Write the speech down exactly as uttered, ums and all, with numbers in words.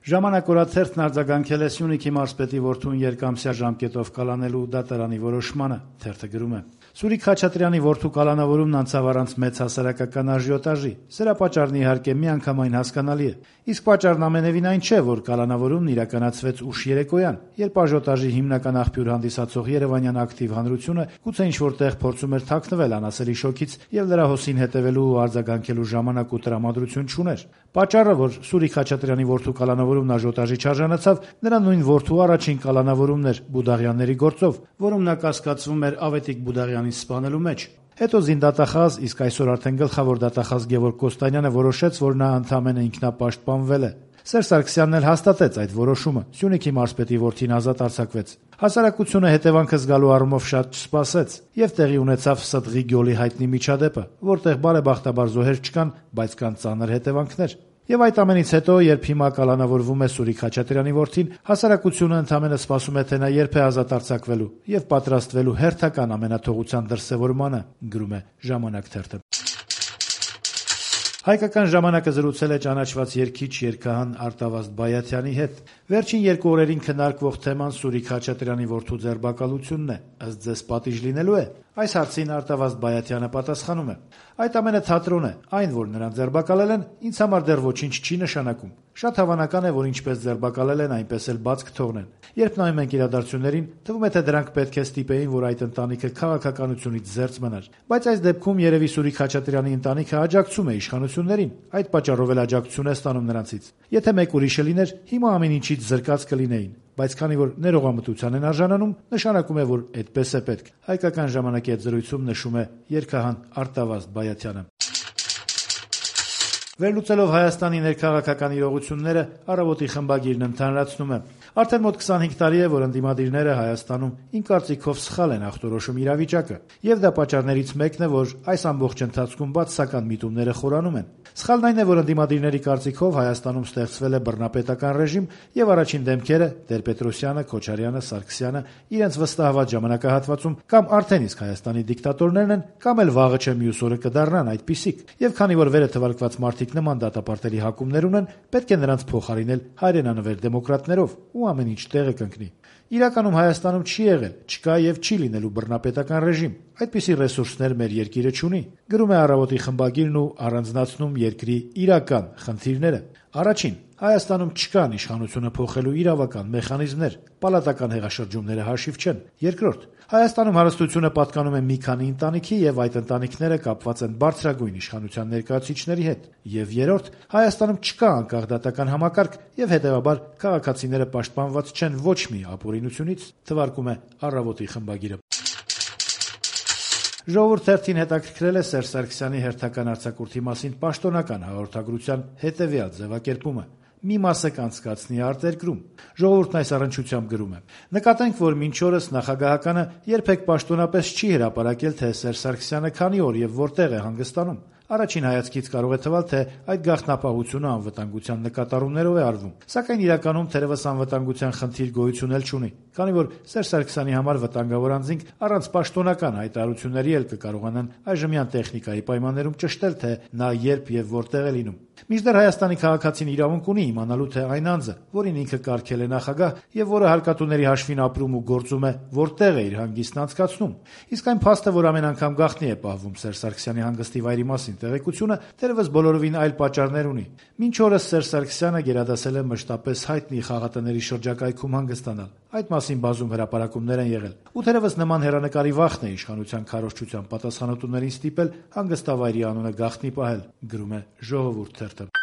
Ժամանակ օրաթերթն արձագանքել է Սյունիքի մարզպետի որդուն երկամսյա ժամկետով կալանելու դատարանի որոշմանը։ Թերթը գրում է. Սուրիկ Խաչատրյանի որդու կալանավորումն անցավ առանց մեծ հասարակական աժիոտաժի։ Սրա պատճառն իհարկե միանգամայն հասկանալի է։ Իսկ պատճառն ամենևին այն չէ, որ կալանավորումն իրականացվեց ուշ երեկոյան, երբ աժիոտաժի հիմնական աղբյուր հանդիսացող երևանյան ակտիվ հանրությունը գուցե ինչ-որ տեղ փորձում էր թաքնվել անասելի շոկից եւ լրա հոսին հետեւելու ու արձագանքելու ժամանակ ու տրամադրություն չուներ։ Պատճառը, որ Սուրիկ Խաչատրյանի որդու կալանավորումն աժիոտաժի չարժանացավ, նրա նույն որդու առաջին կալանավորումն էր Բուդաղյանների գործով, որում նա կասկածվում էր Ավետիք Բուդաղյանին սպանելու մեջ։ Հետո զինդատախազ, իսկ այսօր արդեն գլխավոր դատախազ Գևորգ Կոստանյանը որոշեց, որ նա ընդամենը ինքնապաշտպանվել է։ Սերժ Սարգսյանն էլ հաստատեց այդ որոշումը։ Սյունիքի մարզպետի որդին ազատ արձակվեց։ Հասարակությունը հետևանքը զգալու առումով շատ չսպասեց եւ տեղի ունեցավ Սդղի գյոլի հայտնի միջադեպը, որտեղ բարեբախտաբար զոհեր չկան, բայց կան ծանր հետևանքներ։ Եվ այդ ամենից հետո, երբ հիմա կալանավորվում է Սուրիկ Խաչատրյանի որդին, հասարակությունը ընդամենը սպասում է, թե նա երբ է ազատ արձակվելու եւ պատրաստվելու հերթական ամենաթողության դրսեւորմանը, գրում է Ժամանակ թերթը։ Հայկական ժամանակը զրուցել է ճանաչված երգիչ երգահան Արտավազդ Բայաթյանի հետ։ Վերջին երկու օրերին քննարկվող թեման Սուրիկ Խաչատրյանի որդու ձերբակալությունն է։ Ըստ ձեզ պատիժ լինելու է։ Այս հարցին Արտավազդ Բայաթյանը պատասխանում է. Այդ ամենը թատրոն է, այն, որ նրան ձերբակալել են, ինձ համար դեռ ոչինչ չի նշանակում։ Շատ հավանական է, որ ինչպես ձերբակալել են, այնպես էլ բաց կթողնեն։ Երբ նայում ենք իրադարձություններին, թվում է, թե դրանք պետք է ստիպեին, որ այդ ընտանիքը քաղաքականությունից զերծ մնար։ Բայց այս դեպքում երևի Սուրիկ Խաչատրյանի ընտանիքը աջակցում է իշխանություններին, այդ պատճառով էլ աջակցություն է ստանում նրանցից։ Եթե մեկ ուրիշը լիներ, հիմա ամեն ինչից զրկած կլինեին։ Բայց քանի որ ներողամտության են արժանանում, նշանակում է, որ այդպես է պետք։ Հայկական ժամանակի հետ զրույցում նշում է երգահան Արտավազդ Բայաթյանը։ Վերլուծելով Հայաստանի ներքաղաքական իրողությունները, Առավոտի խմբագիրն ընդհանրացնում է. Արդեն մոտ քսանհինգ տարի է, որ ընդդիմադիրները Հայաստանում իմ կարծիքով սխալ են ախտորոշում իրավիճակը, եւ դա պատճառներից մեկն է, որ այս ամբողջ ընթացքում բացասական միտումները խորանում են։ Սխալն այն է, որ ընդդիմադիրների կարծիքով Հայաստանում ստեղծվել է բռնապետական ռեժիմ եւ առաջին դեմքերը Տեր-Պետրոսյանը, Քոչարյանը, Սարգսյանը իրենց վստահված ժամանակահատվածում կամ արդեն իսկ Հայաստանի դիկտատորներն են, կամ էլ վաղը չէ մյուս օրը կդառնան այդպիսիք։ Եվ քանի որ վերը թվարկված մարդիկ նման դատապարտելի հակումներ ունեն, պետք է նրանց փոխարինել հայրենանվեր դեմոկրատներով ու ամեն ինչ տեղը կընկնի։ Իրականում Հայաստանում չի եղել, չկա եւ չի լինելու բռնապետական ռեժիմ։ Այդպիսի ռեսուրսներ մեր երկիրը չունի։ Գրում է Առավոտի խմբագիրն ու առանձնացնում երկրի իրական խնդիրները։ Առաջին, Հայաստանում չկան իշխանությունը փոխելու իրավական մեխանիզմներ, պալատական հեղաշրջումները հաշիվ չեն։ Երկրորդ, Հայաստանում հարստությունը պատկանում է մի քանի ընտանիքի եւ այդ ընտանիքները կապված են բարձրագույն իշխանության ներկայացուցիչների հետ։ Եվ երրորդ, Հայաստանում չկա անկախ դատական համակարգ եւ հետեւաբար քաղաքացիները պաշտպանված չեն ոչ մի ապօրինությունից, թվարկում է Առավոտի խմբագիրը։ Ժողովուրդ թերթին հետաքրքրել է Սերժ Սարգսյանի հերթական արձակուրդի մասին պաշտոնական հաղորդագրության հետևյալ ձևակերպումը. մի մասը կանցկացնի արտերկրում։ Ժողովուրդն այս առնչությամբ գրում է. նկատենք, որ մինչ օրս նախագահականը երբեք պաշտոնապես չի հրապարակել, թե Սերժ Սարգսյանը քանի օր եւ որտեղ է հանգստանում։ Առաջին հայացքից կարող է թվալ, թե այդ գաղտնապահությունը անվտանգության նկատառումներով է արվում, սակայն իրականում թերևս անվտանգության խնդիր գոյություն էլ չունի, քանի որ Սերժ Սարգսյանի համար վտանգավոր անձինք առանց պաշտոնական հայտարարությունների էլ կկարողանան այժմյան տեխնիկայի պայմաններում ճշտել, թե նա երբ եւ որտեղ է լինում։ Մինչդեռ Հայաստանի քաղաքացին իրավունք ունի իմանալու, թե այն անձը, որին ինքը կարգել է նախագահ եւ որը հարկատուների հաշվին ապրում ու գործում է, որտեղ է իր հանգիստն անցկացնում։ Իսկ այն փաստը, որ ամեն անգամ գաղտնի է պահվում Սերժ Սարգսյանի հանգստի վայրի մասին տեղեկությունը, թերևս բոլորովին այլ պատճառներ ունի։ Մինչ օրս Սերժ Սարգսյանը գերադասել է մշտապես հայտնի խաղատների շրջակայքում հանգստանալ։ Այդ մասին բազում հրապարակումներ են եղել։ Ու թերևս նման հեռանկարի վախն է իշխանության քարոզչության պատասխանատուներին ստիպել հանգստավայրի անունը գաղտնի պահել, գրում է Ժողովուրդ թերթը։